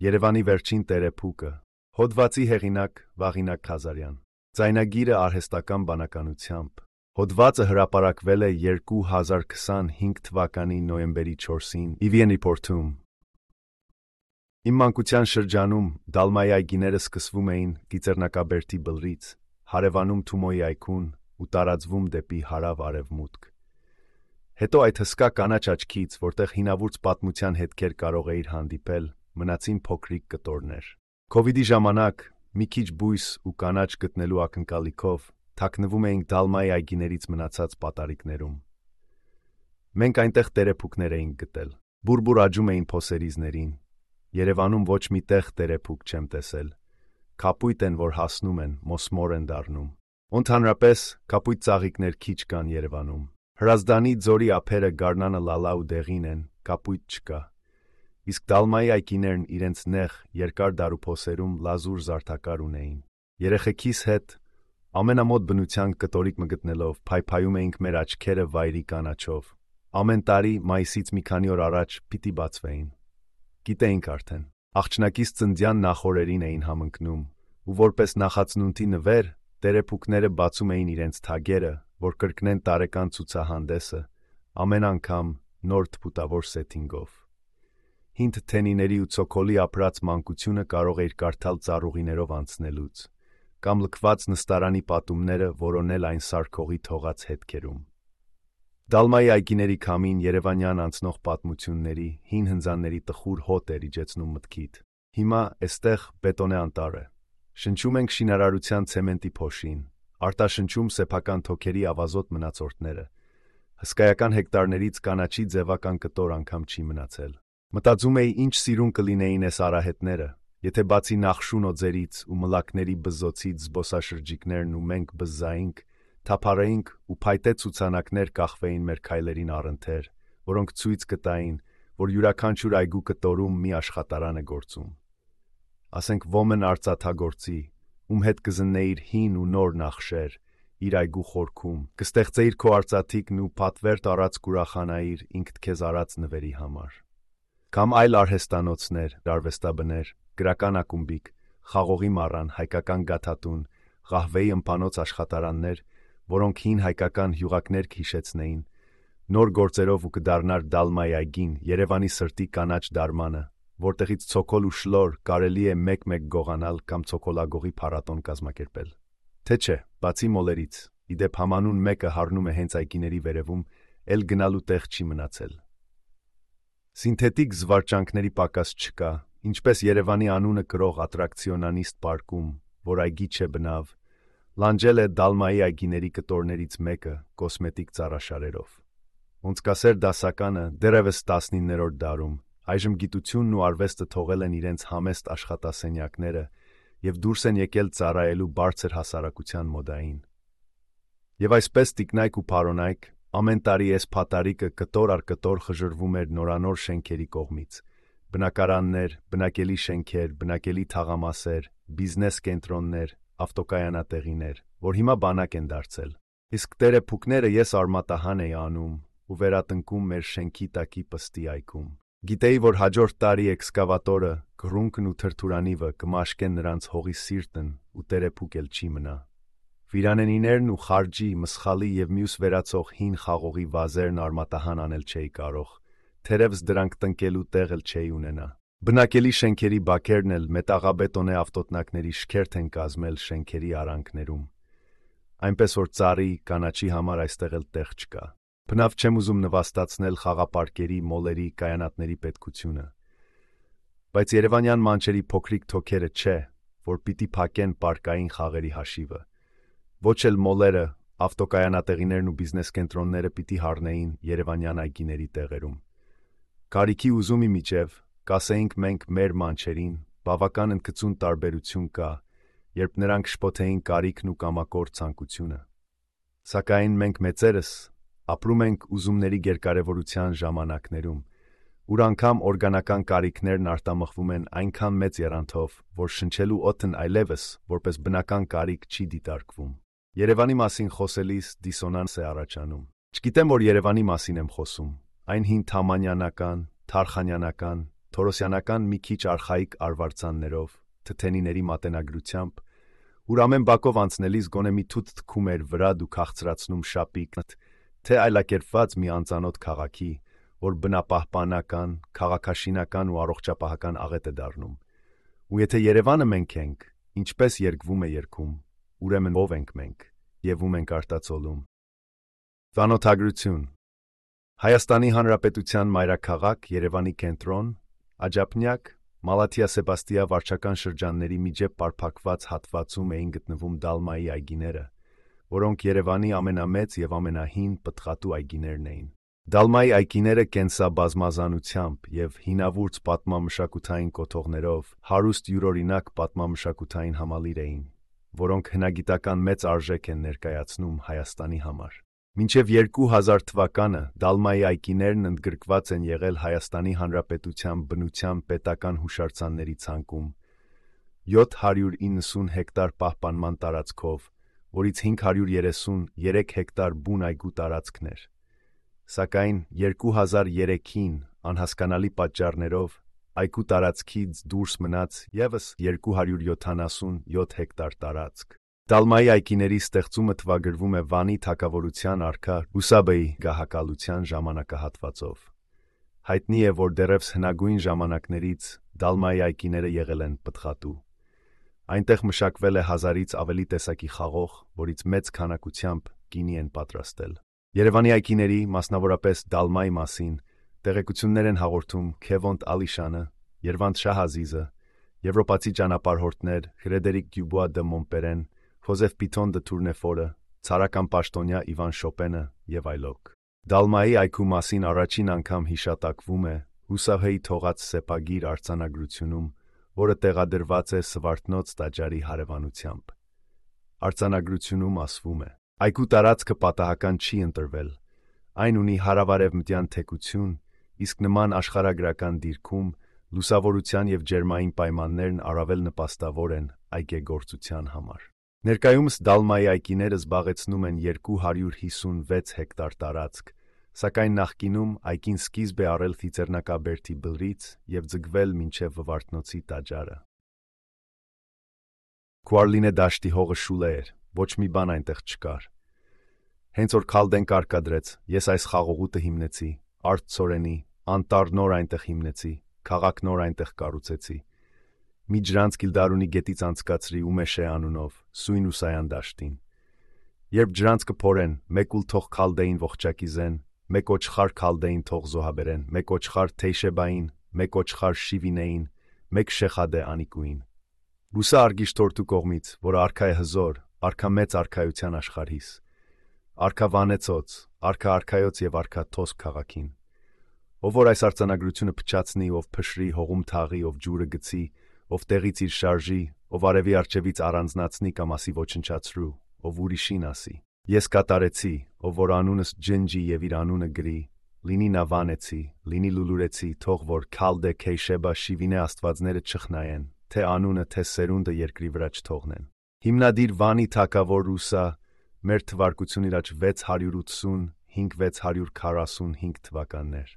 Երևանի վերջին տերեփուկը։ Հոդվածի հեղինակ Վաղինակ Խազարյան։ Ձայնագիրը արհեստական բանականությամբ։ Հոդվածը հրապարակվել է 2025 թվականի նոյեմբերի 4-ին EVN Report-ում։ Իմ մանկության շրջանում Դալմայի այգիները սկսվում էին Գիծեռնակաբերդի բլրից, հարևանում Թումոյի այգուն ու տարածվում դեպի հարավ-արևմուտք։ Հետո այդ հսկա կանաչ աչքից, որտեղ հինավուրց պատմության հետքեր կարող էիր հանդիպել, մնացին փոքրիկ կտորներ։ Քովիդի ժամանակ մի քիչ բույս ու կանաչ գտնելու ակնկալիքով թաքնվում էինք Դալմայի այգիներից մնացած պատարիկներում։ Մենք այնտեղ տերեփուկներ էինք գտել։ Բուրբուր աճում էին փոսերիզներին։ Երևանում ոչ մի տեղ տերեփուկ չեմ տեսել։ Կապույտ են, որ հասնում են, մոսմոր են դառնում։ Ընդհանրապես, կապույտ ծաղիկներ քիչ կան Երևանում։ Հրազդանի ձորի ափերը գարնանը լալա ու դեղին են, կապույտ չկա։ Իսկ Դալմայի այգիներն իրենց նեղ, երկար դարուփոսերում լազուր զարդակար ունեին։ Երեխեքիս հետ ամենամոտ բնության կտորիկ մգտնելով փայփայում էինք մեր աչքերը վայրի կանաչով։ Ամեն տարի մայիսից մի քանի օր առաջ պիտի բացվեին։ Գիտեինք արդեն։ Աղջնակից ծննդյան նախօրերին էին համընկնում, ու որպես նախածնունդի նվեր տերեփուկները բացում էին իրենց թագերը, որ կրկնեն տարեկան ցուցահանդեսը, ամեն անգամ նոր թփուտավոր սեթինգով։ Հին թթենիների ու ցոկոլի ապրած մանկությունը կարող էիր կարդալ ծառուղիներով անցնելուց, կամ լքված նստարանի պատումները որոնել այն սարքողի թողած հետքերում։ Դալմայի այգիների քամին երևանյան անցնող պատմությունների, հին հնձանների տխուր հոտ էր իջեցնում մտքիդ։ Հիմա էստեղ բետոնե անտառ է։ Շնչում ենք շինարարության ցեմենտի փոշին, արտաշնչում սեփական թոքերի ավազոտ մնացորդները։ Հսկայական հեկտարներից կանաչի ձևական կտոր անգամ չի մնացել։ Մտածում էի, ինչ սիրուն կլինեին այս արահետները, եթե բացի նախշուն օձերից ու մլակների բզզոցից զբոսաշրջիկներն ու մենք բզզայինք, թափառեինք ու փայտե ցուցանակներ կախվեին մեր քայլերին առընթեր, որոնք ցույց կտային, որ յուրաքանչյուր այգու կտորում մի աշխատարան է գործում։ Ասենք ոմն արծաթագործի, ում հետ կզննեիր հին ու նոր նախշեր, իր այգու խորքում, կստեղծեիր քո արծաթիկն ու պատվեր տարած կուրախանայիր ինքդ քեզ արած նվերի համար։ Կամ այլ արհեստանոցներ, արվեստաբներ, գրական ակումբիկ, խաղողի մառան, հայկական գաթատուն, ղահվեի ըմպանոց աշխատարաններ, որոնք հին հայկական հյուղակներ կհիշեցնեին, նոր գործերով ու կդառնար Դալմայի այգին, Երևանի սրտի կանաչ դարմանը, որտեղից ցոկոլ ու շլոր կարելի է մեկ-մեկ գողանալ կամ ցոկոլագողի փառատոն կազմակերպել։ Թե չէ, բացի մոլերից, իդեպ համանուն մեկը հառնում է հենց այգիների վերևում, էլ գնալու տեղ չի մնացել։ Սինթետիկ զվարճանքների պակաս չկա, ինչպես Երևանի անունը կրող ատրակցիոնանիստ պարկում, որ այգի չէ բնավ, լանջել է Դալմայի այգիների կտորներից մեկը կոսմետիկ ծառաշարերով։ Ոնցկասեր դասականը դեռևս 19-րդ դարում, այժմ գիտությունն ու արվեստը թողել են իրենց համեստ աշխատասենյակները և դուրս են եկել ծառայելու բարձր հասարակության մոդային։ Եվ այսպես տիկնայք ու փարոնայք, ամեն տարի այս փատարիկը կտոր առ կտոր խժռվում էր նորանոր շենքերի կողմից։ Բնակարաններ, բնակելի շենքեր, բնակելի թաղամասեր, բիզնես կենտրոններ, ավտոկայանատեղիներ, որ հիմա բանակ են դարձել։ Իսկ տերեփուկները ես արմատահան էի անում ու վերատնկում մեր շենքի տակի պստի այգում։ Գիտեի, որ հաջորդ տարի էքսկավատորը, գրունկն ու թրթուրանիվը կմաշկեն նրանց հողի սիրտն ու տերեփուկ էլ չի մնա։ Վիրանենիներն ու խարջի, մսխալի և մյուս վերացող հին խաղողի վազերն արմատահան անել չէի կարող, թերևս դրանք տնկելու տեղ էլ չէի ունենա։ Բնակելի շենքերի բակերն էլ մետաղաբետոնե ավտոտնակների շքերթ են կազմել շենքերի արանքներում։ Այնպես որ ծառի, կանաչի համար այստեղ էլ տեղ չկա։ Բնավ չեմ ուզում նվաստացնել խաղապարկերի, մոլերի, կայանատների պետքությունը։ Բայց երևանյան մանչերի փոքրիկ թոքերը չէ, որ պիտի փակեն պարկային խաղերի հաշիվը։ Ոչ էլ մոլերը, ավտոկայանատեղիներն ու բիզնես կենտրոնները պիտի հառնեին երևանյան այգիների տեղերում։ Կարիքի ուզումի միջև, կասեինք մենք մեր մանչերին, բավական ընդգծուն տարբերություն կա, երբ նրանք շփոթեին կարիքն ու կամակոր ցանկությունը։ Սակայն մենք մեծերս ապրում ենք ուզումների գերկարևորության ժամանակներում, ուր անգամ օրգանական կարիքներն արտամխվում են այնքան մեծ եռանդով, որ շնչելու օդն այլևս որպես բնական կարիք չի դիտարկվում։ Երևանի մասին խոսելիս դիսոնանս է առաջանում։ Չգիտեմ, որ Երևանի մասին եմ խոսում, այն հին թամանյանական, թարխանյանական, թորոսյանական մի քիչ արխայիկ արվարձաններով, թթենիների մատենագրությամբ, ուր ամեն բակով անցնելիս գոնե մի թութ թքում էր վրա դու քաղցրացնում շապիկն, թե այլակերպված մի անծանոթ քաղաքի, որ բնապահպանական, քաղաքաշինական ու առողջապահական աղետ է դառնում։ Ու եթե Երևանը մենք ենք, ինչպես երգվում է երգում, ուրեմն ով ենք մենք, եւ ում ենք արտացոլում։ Ծանոթագրություն։ Հայաստանի Հանրապետության մայրաքաղաք Երևանի կենտրոն, Աջափնյակ, Մալաթիա Սեբաստիա վարչական շրջանների միջև պարփակված հատվածում էին գտնվում Դալմայի այգիները, որոնք Երևանի ամենամեծ եւ ամենահին պտղատու այգիներն էին։ Դալմայի այգիները կենսաբազմազանությամբ եւ հինավուրց պատմամշակութային կոթողներով հարուստ յուրօրինակ պատմամշակութային համալիր էին, որոնք հնագիտական մեծ արժեք են ներկայացնում Հայաստանի համար։ Մինչև 2000 թվականը Դալմայի այգիներն ընդգրկված են եղել Հայաստանի Հանրապետության բնության պետական հուշարձանների ցանկում 790 հեկտար պահպանման տարածքով, որից 533 հեկտար բուն այգու տարածքներ։ Սակայն 2003-ին անհասկանալի պատճառներով այգու տարածքից դուրս մնաց ևս 277 հեկտար տարածք։ Դալմայի այգիների ստեղծումը թվագրվում է Վանի թագավորության արքա Հուսաբեի գահակալության ժամանակահատվածով։ Հայտնի է, որ դեռևս հնագույն ժամանակներից Դալմայի այգիները եղել են պտղատու։ Այնտեղ մշակվել է 1000-ից ավելի տեսակի խաղող, որից մեծ քանակությամբ գինի են պատրաստել։ Երևանի այգիների, մասնավորապես Դալմայի մասին, տեղեկություններ են հաղորդում Քևոնտ Ալիշանը, Երվանդ Շահազիզը, եվրոպացի ճանապարհորդներ Ֆրեդերիկ Դյուբուա դը Մոնպերեն, Խոզեֆ Պիտոն դը Թուրնեֆորը, ցարական պաշտոնյա Իվան Շոպենը եւ այլոք։ Դալմայի այգու մասին առաջին անգամ հիշատակվում է Հուսահեի թողած սեպագիր արձանագրությունում, որը տեղադրված է Սվարթնոց տաճարի հարևանությամբ։ Արձանագրությունում ասվում է. այգու տարածքը պատահական չի ընտրվել։ Այն ունի հարավարևմտյան թեքություն, իսկ նման աշխարհագրական դիրքում լուսավորության եւ ջերմային պայմաններն առավել նպաստավոր են այգեգործության համար։ Ներկայումս Դալմայի այգիները զբաղեցնում են 256 հեկտար տարածք, սակայն նախկինում այգին սկիզբ է առել Ծիծեռնակաբերդի բլրից եւ ձգվել մինչեւ Վվարդնոցի տաճարը։ Քուարլինե դաշտի հողը շուլե էր, ոչ մի բան այնտեղ չկար։ Հենց որ Քալդեն կարկադրեց, ես այս խաղողուտը հիմնեցի, Արդ Ցորենի, անտառ նոր այնտեղ հիմնեցի, քաղաք նոր այնտեղ կառուցեցի։ Մի ջրանց Գիլդարունի գետից անցկացրի Ումեշե անունով, Սույն ու Սայան դաշտին։ Երբ ջրանց կփորեն, մեկ ուլ թող Քալդեին ողջակի զեն, մեկ օչխար Քալդեին թող զոհաբերեն, մեկ օչխար Թեյշեբային, մեկ օչխար Շիվինեին, մեկ Շեխադե Անիկուին։ Ռուսա արգիշտորտու կողմից, որը արքա է հզոր, արքա մեծ արքայության աշխարհիս, արքա Վանեցոց, արքա արքայոց եւ արքա Թոսփ քաղաքին։ Ով որ այս արձանագրությունը փչացնի, ով փշրի, հողում թաղի, ով ջուրը գցի, ով տեղից իր շարժի, ով արևի արջևից առանձնացնի կամ ասի ոչնչացրու, ով ուրիշին ասի. Ես կատարեցի, ով որ անունս ջնջի եւ իր անունը գրի, լինի նա Վանեցի, լինի Լուլուրեցի, թող որ Քալդե Քեյշեբա Շիվինե աստվածները չխնայեն, թե անունը, թե սերունդը երկրի վրա չթողնեն։ Հիմնադիր Վանի թագավոր Ռուսա մեր թվարկությունից 680-5645 թվականներ։